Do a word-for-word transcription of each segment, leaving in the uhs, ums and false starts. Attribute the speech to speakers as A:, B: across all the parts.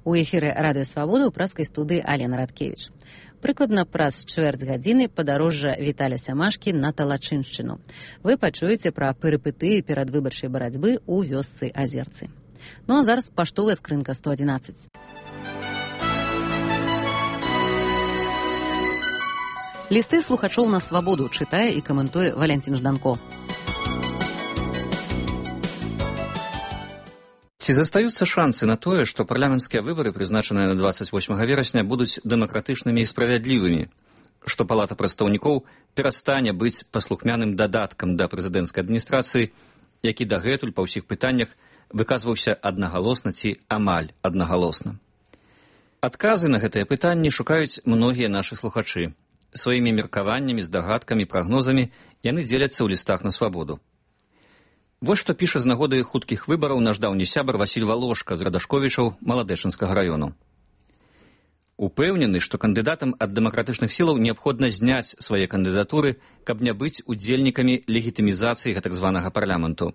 A: У эфіры радыё Свабода ў праскай студыі Алена Радкевіч. Прыкладна праз чвэрць гадзіны падарожжа Віталя Сямашкі на Талачыншчыну. Вы пачуеце пра перыпетыі перадвыбарчай барацьбы ў вёсцы Азерцы. Ну а зараз паштовая скрынка сто адзінаццаць. Лісты слухачоў на Свабоду чытае і каментуе Валянцін Жданко.
B: Ці застаюцца шансы на тое, што парламенцкія выбары, прызначаныя на дваццаць восьмага верасня, будуць дэмакратычнымі і справядлівымі, што Палата прадстаўнікоў перастане быць паслухмяным дадаткам да прэзідэнцкай адміністрацыі, які дагэтуль па ўсіх пытаннях выказваўся аднагалосна ці амаль аднагалосна. Адказы на гэтыя пытанні шукаюць многія нашы слухачы. Сваімі меркаваннямі, здагадкамі, прагнозамі яны дзеляцца ў лістах на Свабоду. Вось што піша з нагоды хуткіх выбараў наш даўні сябар Васіль Валошка з Радашковічаў Маладэчынскага раёну. Упэўнены, што кандыдатам ад дэмакратычных сілаў неабходна зняць свае кандыдатуры, каб не быць удзельнікамі легітымізацыі гэтак званага парламенту.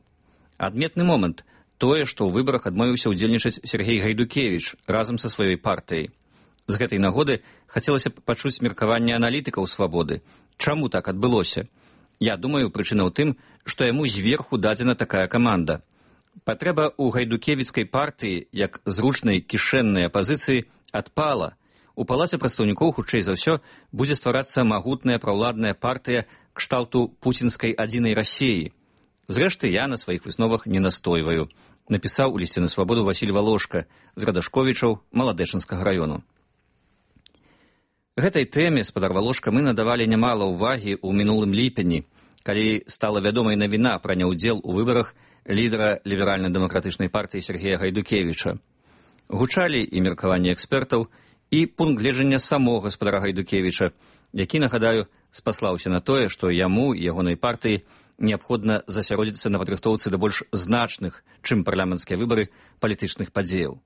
B: Адметны момант тое, што ў выбарах адмовіўся ўдзельнічаць Сергей Гайдукевіч разам са сваёй партыяй. З гэтай нагоды хацелася б пачуць меркаванне аналітыкаў Свабоды. Чаму так адбылося? Я думаю, прычына ў тым, што яму зверху дадзена такая каманда. Патрэба ў гайдукевіцкай партыі, як зручнай кішэннай апазіцыі, адпала. У Палаце прадстаўнікоў, хутчэй за ўсё, будзе стварацца магутная праўладная партыя кшталту пуцінскай адзінай Расіі. Зрэшты, я на сваіх высновах не настойваю, напісаў у лісце на Свабоду Васіль Валошка з Радашковічаў Маладэчынскага раёну. Гэтай тэме, спадар Валошка, мы надавалі нямала ўвагі ў мінулым ліпені, калі стала вядомай навіна пра няўдзел у выбарах лідара ліберальна-дэмакратычнай партыі Сергея Гайдукевіча. Гучалі і меркаванні экспертаў, і пункт гледжання самога спадара Гайдукевіча, які, нагадаю, спаслаўся на тое, што яму і ягонай партыі неабходна засяродзіцца на падрыхтоўцы да больш значных, чым парламенцкія выбары, палітычных падзеяў.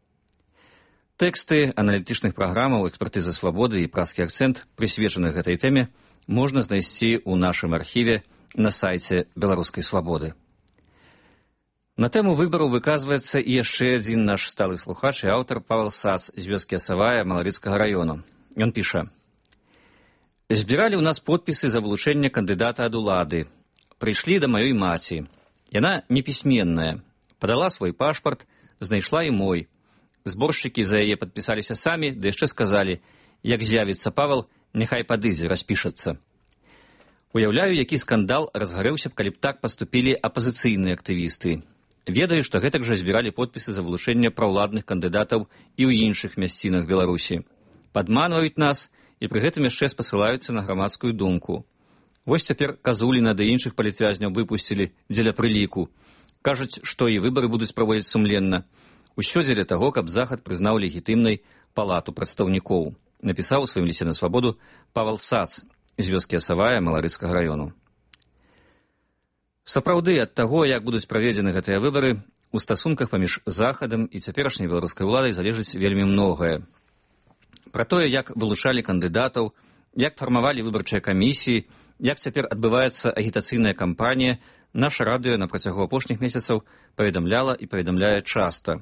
B: Тэксты аналітычных праграмаў экспертызы Свабоды і праскі акцэнт, прысвечаных гэтай тэме, можна знайсці ў нашым архіве на сайце Беларускай Свабоды. На тэму выбараў выказваецца і яшчэ адзін наш сталы слухач і аўтар Павел Сац з вёскі Асавая Маларыцкага раёну. Ён піша: «Збіралі ў нас подпісы за вылучэнне кандыдата ад улады. Прыйшлі да маёй маці. Яна непісьменная. Падала свой пашпарт, знайшла і мой. Зборшчыкі за яе падпісаліся самі, ды яшчэ сказалі, як з'явіцца Павел, няхай падыдзе, распішацца. Уяўляю, які скандал разгарэўся б, калі б так паступілі апазіцыйныя актывісты. Ведаю, што гэтак жа збіралі подпісы за вылучэнне праўладных кандыдатаў і ў іншых мясцінах Беларусі. Падманваюць нас і пры гэтым яшчэ спасылаюцца на грамадскую думку. Вось цяпер Казуліна да іншых палітвязняў выпусцілі дзеля прыліку. Кажуць, што і выбары будуць праводзіць сумленна. Усё дзеля таго, каб Захад прызнаў легітымнай Палату прадстаўнікоў, напісаў у сваім лісце на Свабоду Павел Сац з вёскі Асавая Маларыцкага раёну. Сапраўды, ад таго, як будуць праведзены гэтыя выбары, у стасунках паміж Захадам і цяперашняй беларускай уладай залежыць вельмі многае. Пра тое, як вылучалі кандыдатаў, як фармавалі выбарчыя камісіі, як цяпер адбываецца агітацыйная кампанія, наша радыё на працягу апошніх месяцаў паведамляла і паведамляе часта.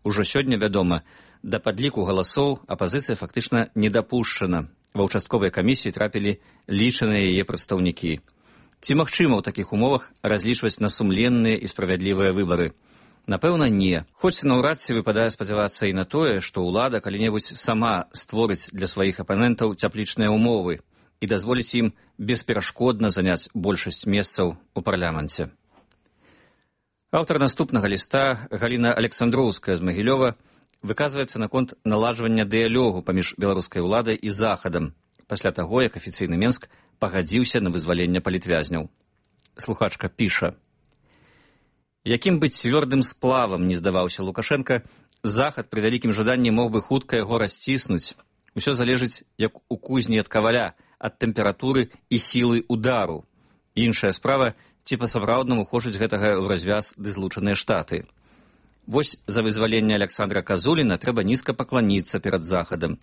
B: Ужо сёння вядома, да падліку галасоў апазіцыя фактычна не дапушчана. Ва ўчастковыя камісіі трапілі лічаныя яе прадстаўнікі. Ці магчыма ў такіх умовах разлічваць на сумленныя і справядлівыя выбары? Напэўна, не. Хоць наўрад ці выпадае спадзявацца і на тое, што ўлада калі-небудзь сама створыць для сваіх апанентаў цяплічныя умовы і дазволіць ім бесперашкодна заняць большасць месцаў у парламенце. Аўтар наступнага ліста, Галіна Александроўская з Магілёва, выказваецца наконт наладжвання дыялогу паміж беларускай уладай і Захадам, пасля таго, як афіцыйны Менск пагадзіўся на вызваленне палітвязняў. Слухачка піша: «Якім бы цвёрдым сплавам не здаваўся Лукашенка, Захад пры вялікім жаданні мог бы хутка яго расціснуць. Усё залежыць, як у кузні ад каваля, ад тэмпературы і сілы удару. Іншая справа, ці па-сапраўднаму хочуць гэтага ў развяз ды злучаныя штаты. Вось за вызваленне Александра Казуліна трэба нізка пакланіцца перад Захадам.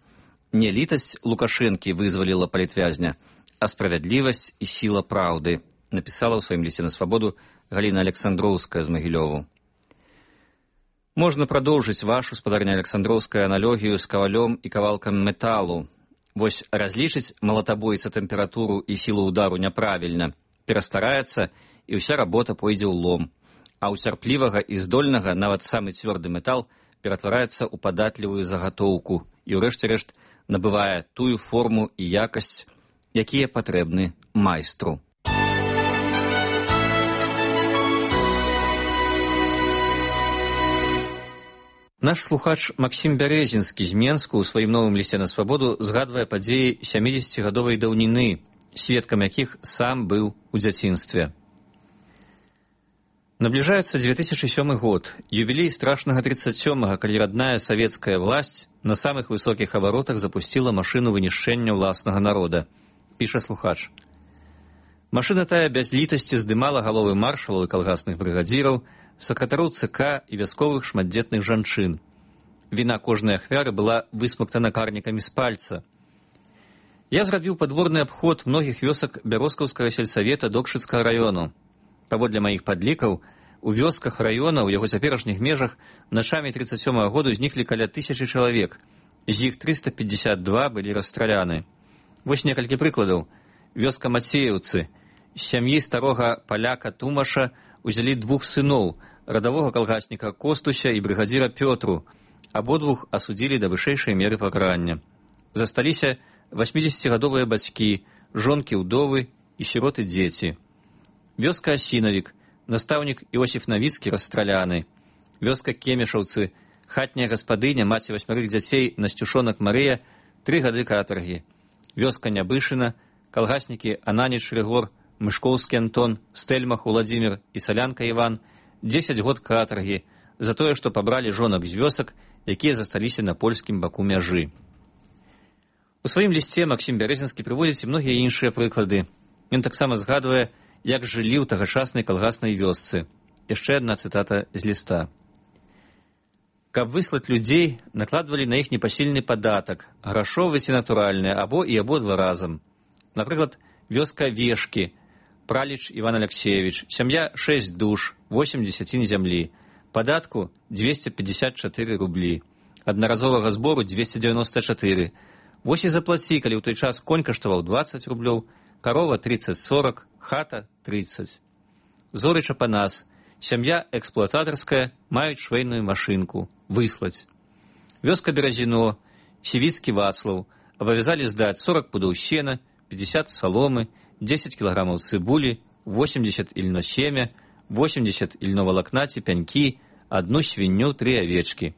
B: Не літасць Лукашэнкі вызваліла палітвязня, а справядлівасць і сіла праўды», напісала ў сваім лісце на Свабоду Галіна Александроўская з Магілёву. Можна прадоўжыць вашу, спадарня Александроўская, аналогію з кавалём і кавалкам металу. Вось разлічыць малатабойца тэмпературу і сілу удару няправільна, перастараецца, і ўся работа пойдзе ў лом. А ў цярплівага і здольнага нават самы цвёрды метал ператвараецца ў падатлівую загатоўку і ўрэшце рэшт набывае тую форму і якасць, якія патрэбны майстру. Наш слухач Максім Бярэзінскі з Менску ў сваім новым лісце на свабоду згадвае падзеі сямідзесяцігадовай даўніны, сведкам якіх сам быў у дзяцінстве. Набліжаецца дзве тысячы сёмы год, юбілей страшнага тридцать сёмага, калі радная савецкая власць на самых высокіх абаротах запусціла машыну вынішчэння ўласнага народа, піша слухач. Машына тая без літасці здымала галовы маршалаў і калгасных брыгадзіраў, сакратароў ЦК і вясковых шматдзетных жанчын. Віна кожнай ахвяры была высмактана карнікамі з пальца. Я зрабіў падворны абход многіх вёсак Бяроскаўскага сельсавета Докшыцкага раёну. Паводле маіх падлікаў, у вёсках раёна ў яго цяперашніх межах начамі тридцать сёмага году зніклі каля тысячы чалавек, з іх триста пятьдесят два былі расстраляны. Вось некалькі прыкладаў. Вёска Мацееўцы. З сям'і старога паляка Тумаша узялі двух сыноў, радавога калгасніка Костуся і брыгадзіра Пётру. Абодвух асудзілі да вышэйшай меры пакарання. Засталіся васьмідзесяцігадовыя бацькі, жонкі-ўдовы і сіроты-дзеці. Вёска Асінавік, настаўнік Іосіф Навіцкі расстраляны. Вёска Кемешаўцы, хатняя гаспадыня, маці васьмярых дзяцей Насцюшонак Марыя, тры гады катаргі. Вёска Нябышына, калгаснікі Ананіч Рыгор, Мышкоўскі Антон, Стэльмах Уладзімір і Салянка Іван, дзесяць год катаргі за тое, што пабралі жонак з вёсак, якія засталіся на польскім баку мяжы. У сваім лісце Максім Бярэзінскі прыводзіць і многія іншыя прыклады. Ён таксама згадвае, як жылі ў тагачаснай калгаснай вёсцы. Яшчэ адна цытата з ліста. Каб выслаць людзей, накладвалі на іх непасільны падатак, грашовы ці натуральны, або і абодва разам. Напрыклад, вёска Вешкі, Праліч Іван Алексеевич, сям'я шэсць душ, восемь дзесяцін зямлі, падатку двести пятьдесят четыре рублі, аднаразовага збору двести девяносто четыре. Вось і заплаці, калі ў той час конь каштаваў двадцать рублёў, карова тридцать сорок, хата тридцать. Зорыча Панас, сям'я эксплуататарская, маюць швейную машынку, выслаць. Вёска Беразіно, Сівіцкі Вацлаў, абавязалі здаць сорок пудоў сена, пятьдесят соломы, десять килограммов цибули, восемьдесят ильно семя, восемьдесят ільновалакна ці пянькі, одну свінню, три овечки.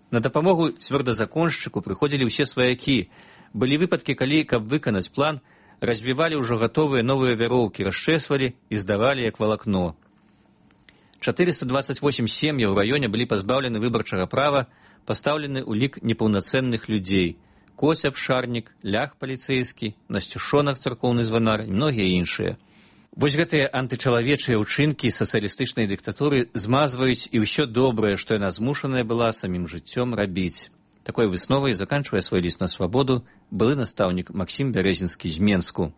B: На дапамогу цвёрдазаконшчыку прыходзілі ўсе сваякі. Былі выпадкі, калі, каб выканаць план, развівалі ўжо гатовыя новыя вяроўкі, расчэсвалі і здавалі як валакно. четыреста двадцать восемь сем'яў у раёне былі пазбаўлены выбарчага права, пастаўлены ў лік непаўнацэнных людзей. Коць абшарнік, лях паліцэйскі, Насцюшонак царкоўны званар і многія іншыя. Вось гэтыя антычалавечыя ўчынкі сацыялістычнай дыктатуры змазваюць і ўсё добрае, што яна змушаная была самім жыццём рабіць. Такой высновай заканчвае свой ліст на свабоду былы настаўнік Максім Бярэзінскі з Менску.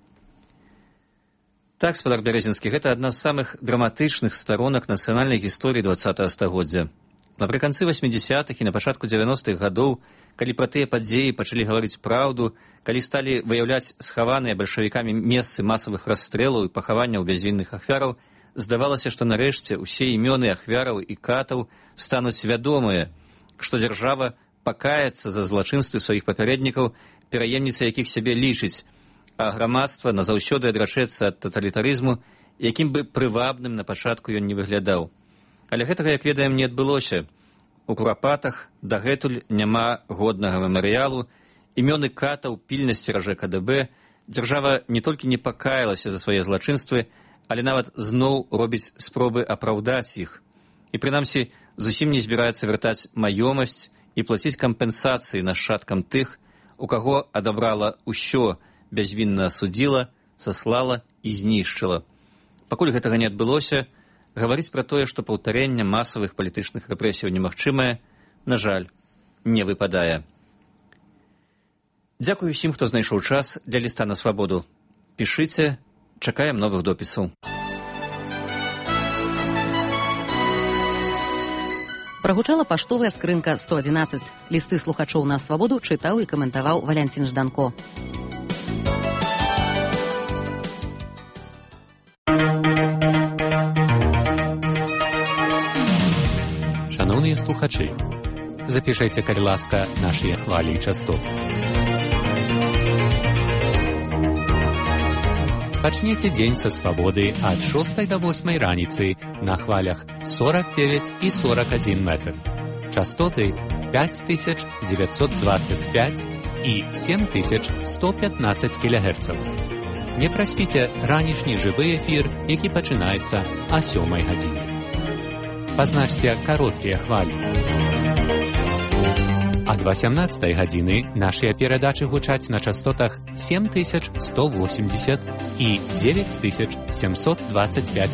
B: Так, спадар Бярэзінскі, гэта адна з самых драматычных старонак нацыянальнай гісторыі двадцатага стагоддзя. Напрыканцы васьмідзесятых і на пачатку дзевяностых гадоў, калі пра тыя падзеі пачалі гаварыць праўду, калі сталі выяўляць схаваныя бальшавікамі месцы масавых расстрэлаў і пахаванняў бязвінных ахвяраў, здавалася, што нарэшце ўсе імёны ахвяраў і катаў стануць вядомыя, што дзяржава пакаецца за злачынствы сваіх папярэднікаў, пераемніца якіх сябе лічыць, а грамадства назаўсёды адрачэцца ад таталітарызму, якім бы прывабным на пачатку ён не выглядаў. Але гэтага, як ведаем, не адбылося. У Курапатах дагэтуль няма годнага мемарыялу, імёны катаў пільна сцеражэ КДБ, дзяржава не толькі не пакаялася за свае злачынствы, але нават зноў робіць спробы апраўдаць іх. І прынамсі зусім не збіраецца вяртаць маёмасць і плаціць кампенсацыі нашчадкам тых, у каго адабрала ўсё, бязвінна асудзіла, саслала і знішчыла. Пакуль гэтага не адбылося, гаварыць пра тое, што паўтарэнне масавых палітычных рэпрэсіяў немагчымае, на жаль, не выпадае. Дзякую ўсім, хто знайшоў час для ліста на свабоду. Пішыце, чакаем новых допісаў.
A: Прагучала паштовая скрынка сто адзінаццаць. Лісты слухачоў на свабоду чытаў і каментаваў Валянцін Жданко.
C: Шановні слухачі, запишите, калі ласка, наші хвалі і частоты. Пачнеце дзень са свабоды ад шостай да восьмай раніцы на хвалях сорок девять і сорок один метр. Частоты пять тысяч девятьсот двадцать пять і семь тысяч сто пятнадцать кілогерцаў. Не праспіце ранішні жывы эфір, які пачынаецца а сёмай гадзіне. Пазначце кароткія хвалі. Ад васямнаццатай гадзіны нашыя перадачы гучаць на частотах семь тысяч сто восемьдесят і девять тысяч семьсот двадцать пять